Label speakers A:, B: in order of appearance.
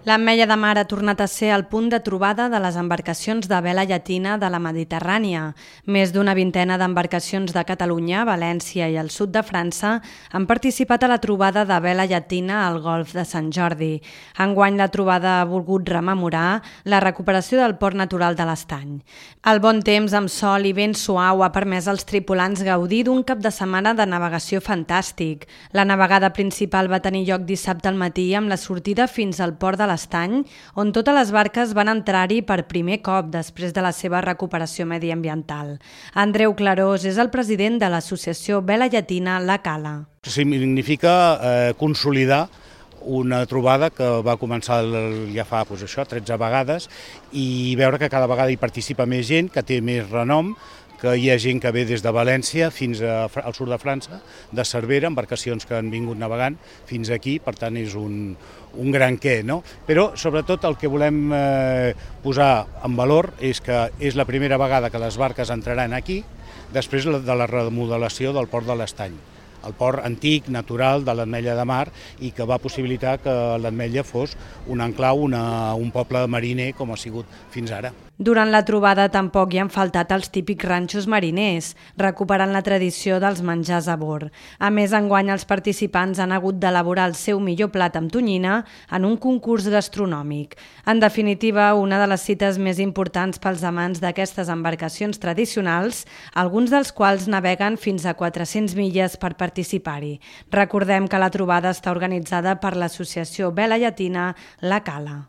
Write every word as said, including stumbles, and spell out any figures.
A: L'Ametlla de Mar ha tornat a ser el punt de trobada de les embarcacions de vela llatina de la Mediterrània. Més d'una vintena d'embarcacions de Catalunya, València i el sud de França han participat a la trobada de vela llatina al Golf de Sant Jordi. Enguany la trobada ha volgut rememorar la recuperació del port natural de l'Estany. El bon temps amb sol i vent suau ha permès als tripulants gaudir d'un cap de setmana de navegació fantàstic. La navegada principal va tenir lloc dissabte al matí amb la sortida fins al port de l'Estany, on totes les barques van entrar-hi per primer cop després de la seva recuperació mediambiental. Andreu Clarós és el president de l'associació Vela Llatina La Cala.
B: Significa eh, consolidar una trobada que va començar ja fa doncs això, tretze vegades i veure que cada vegada hi participa més gent, que té més renom, que hi ha gent que ve des de València fins al sud de França, de Cervera, embarcacions que han vingut navegant fins aquí, per tant és un, un gran què, no? Però sobretot el que volem eh, posar en valor és que és la primera vegada que les barques entraran aquí després de la remodelació del port de l'Estany, el port antic, natural de l'Ametlla de Mar i que va possibilitar que l'Ametlla fos un enclau, una, un poble mariner com ha sigut fins ara.
A: Durant la trobada tampoc hi han faltat els típics ranxos mariners, recuperant la tradició dels menjars a bord. A més, enguany els participants han hagut d'elaborar el seu millor plat amb tonyina en un concurs gastronòmic. En definitiva, una de les cites més importants pels amants d'aquestes embarcacions tradicionals, alguns dels quals naveguen fins a quatre-centes milles per participar-hi. Recordem que la trobada està organitzada per l'associació Vela Llatina La Cala.